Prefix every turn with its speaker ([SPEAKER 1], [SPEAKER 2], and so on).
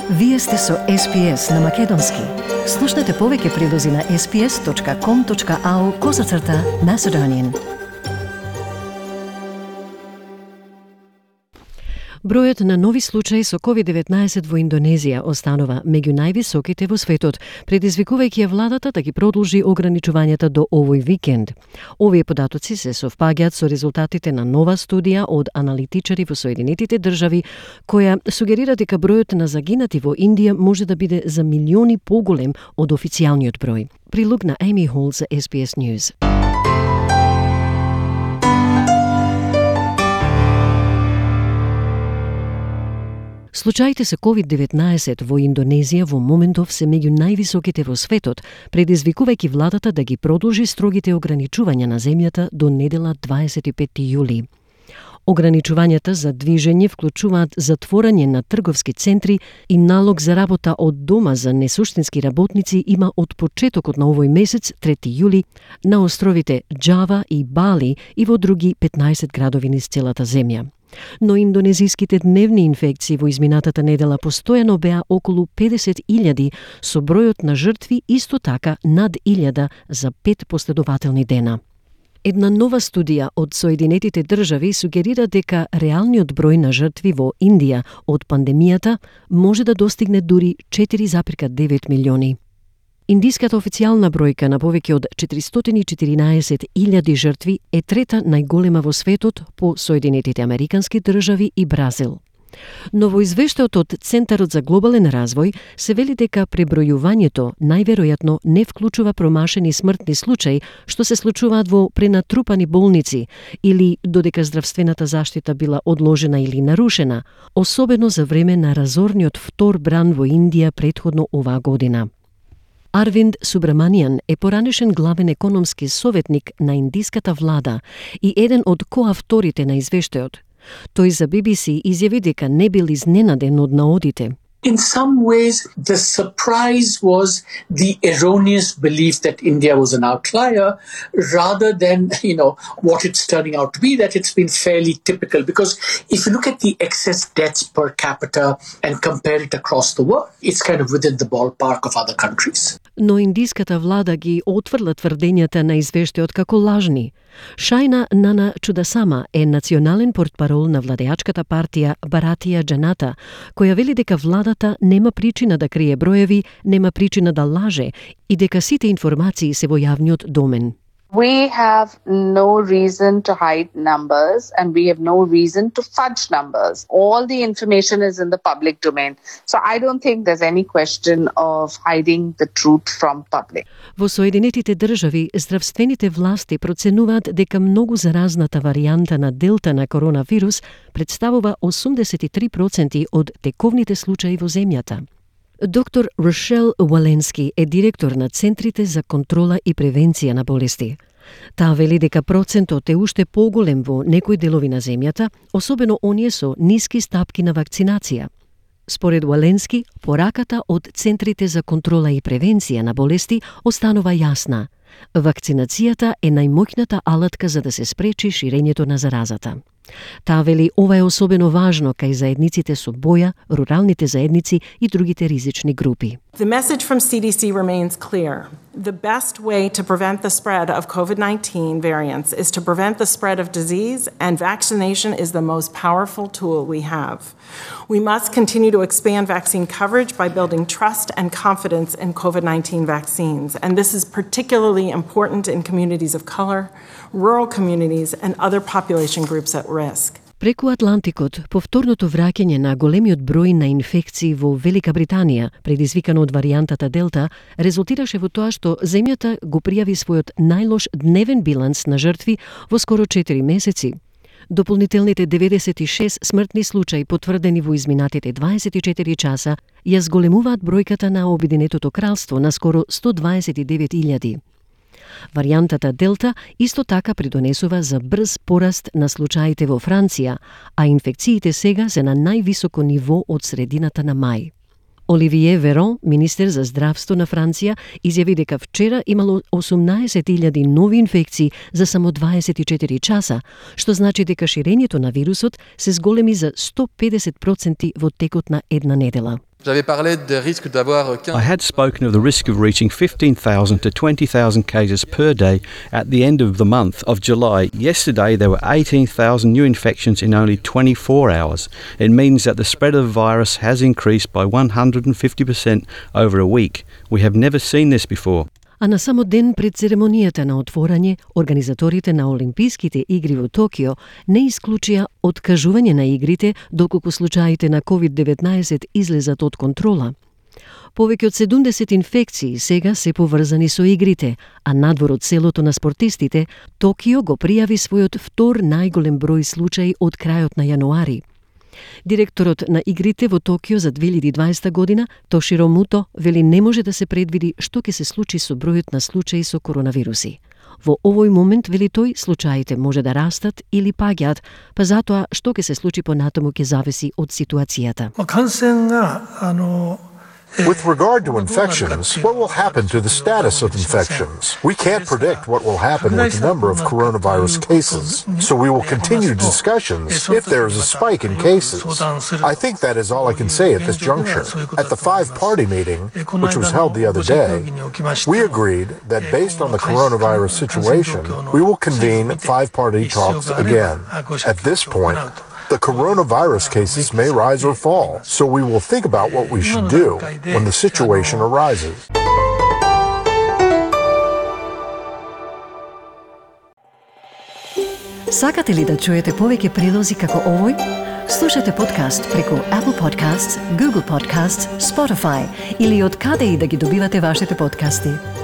[SPEAKER 1] Вие сте со SPS на Македонски. Слушнете повеќе прилози на sps.com.au/Macedonian. Бројот на нови случаи со COVID-19 во Индонезија останува меѓу највисоките во светот, предизвикувајќи ја владата да ги продолжи ограничувањата до овој викенд. Овие податоци се совпаѓаат со резултатите на нова студија од аналитичари во Соединетите држави, која сугерира дека бројот на загинати во Индија може да биде за милиони поголем од официјалниот број. Прилог на Amy Hall за SBS News. Случаите со COVID-19 во Индонезија во моментов се меѓу највисоките во светот, предизвикувајќи владата да ги продолжи строгите ограничувања на земјата до недела 25 јули. Ограничувањата за движење вклучуваат затворање на трговски центри и налог за работа од дома за несуштински работници има од почетокот на овој месец, 3 јули, на островите Џава и Бали и во други 15 градови низ целата земја. Но индонезиските дневни инфекции во изминатата недела постојано беа околу 50.000, со бројот на жртви исто така над 1000 за 5 последователни дена. Една нова студија од Соединетите држави сугерира дека реалниот број на жртви во Индија од пандемијата може да достигне дури 4,9 милиони. Индиската официјална бројка на повеќе од 414.000 жртви е трета најголема во светот по Соединетите Американски држави и Бразил. Но во извештајот од Центарот за глобален развој се вели дека пребројувањето најверојатно не вклучува промашени смртни случаи што се случуваат во пренатрупани болници или додека здравствената заштита била одложена или нарушена, особено за време на разорниот втор бран во Индија претходно оваа година. Арвинд Субраманијан е поранешен главен економски советник на индиската влада и еден од коавторите на извештајот. Тој за BBC изјави дека не бил изненаден од наодите.
[SPEAKER 2] In some ways, the surprise was the erroneous belief that India was an outlier rather than, what it's turning out to be, that it's been fairly typical. Because if you look at the excess deaths per capita and compare it across the world, it's kind of within the ballpark of other countries.
[SPEAKER 1] Но индиската влада ги отврла тврдењата на извештајот како лажни. Шајна Нана Чудасама е национален портпарол на владеачката партија Баратија Џаната, која вели дека владата нема причина да крие броеви, нема причина да лаже и дека сите информации се во јавниот домен.
[SPEAKER 3] We have no reason to hide numbers and we have no reason to fudge numbers. All the information is in the public domain. So I don't think there's any question of hiding the truth from public.
[SPEAKER 1] Во Соединетите држави, здравствените власти проценуваат дека многу заразната варијанта на Делта на коронавирус представува 83% од тековните случаи во земјата. Доктор Рошел Валенски е директор на Центрите за контрола и превенција на болести. Таа вели дека процентот е уште поголем во некои делови на земјата, особено оние со ниски стапки на вакцинација. Според Валенски, пораката од Центрите за контрола и превенција на болести останува јасна. Вакцинацијата е најмоќната алатка за да се спречи ширењето на заразата. Таа вели ова е особено важно кај заедниците со боја, руралните заедници и другите ризични групи.
[SPEAKER 4] The message from CDC remains clear. The best way to prevent the spread of COVID-19 variants is to prevent the spread of disease, and vaccination is the most powerful tool we have. We must continue to expand vaccine coverage by building trust and confidence in COVID-19 vaccines, and this is particularly important in communities of color, rural communities, and other population groups at risk.
[SPEAKER 1] Преку Атлантикот, повторното враќање на големиот број на инфекции во Велика Британија, предизвикано од варијантата Делта, резултираше во тоа што земјата го пријави својот најлош дневен биланс на жртви во скоро 4 месеци. Дополнителните 96 смртни случаи потврдени во изминатите 24 часа ја зголемуваат бројката на Обединетото кралство на скоро 129.000. Варијантата Делта исто така придонесува за брз пораст на случаите во Франција, а инфекциите сега се на највисоко ниво од средината на мај. Оливие Верон, министер за здравство на Франција, изјави дека вчера имало 18.000 нови инфекции за само 24 часа, што значи дека ширењето на вирусот се зголеми за 150% во текот на една недела.
[SPEAKER 5] I had spoken of the risk of reaching 15,000 to 20,000 cases per day at the end of the month of July. Yesterday, there were 18,000 new infections in only 24 hours. It means that the spread of the virus has increased by 150% over a week. We have never seen this before.
[SPEAKER 1] А на само ден пред церемонијата на отворање, организаторите на Олимписките игри во Токио не исклучија откажување на игрите доколку случаите на COVID-19 излезат од контрола. Повеќе од 70 инфекции сега се поврзани со игрите, а надвор од селото на спортистите, Токио го пријави својот втор најголем број случаи од крајот на јануари. Директорот на игрите во Токио за 2020 година, Тоширо Муто, вели не може да се предвиди што ќе се случи со бројот на случаи со коронавируси. Во овој момент, вели тој, случаите може да растат или паѓаат, па затоа што ќе се случи понатаму ќе зависи од ситуацијата.
[SPEAKER 6] With regard to infections, what will happen to the status of infections? We can't predict what will happen with the number of coronavirus cases, so we will continue discussions if there is a spike in cases. I think that is all I can say at this juncture. At the five-party meeting, which was held the other day, we agreed that based on the coronavirus situation, we will convene five-party talks again. At this point, the coronavirus cases may rise or fall, so we will think about what we should do when the situation arises.
[SPEAKER 1] Сакате ли да чуете повеќе прилози како овој? Слушате подкаст преку Apple Podcasts, Google Podcasts, Spotify или од каде и да ги добивате вашите подкасти.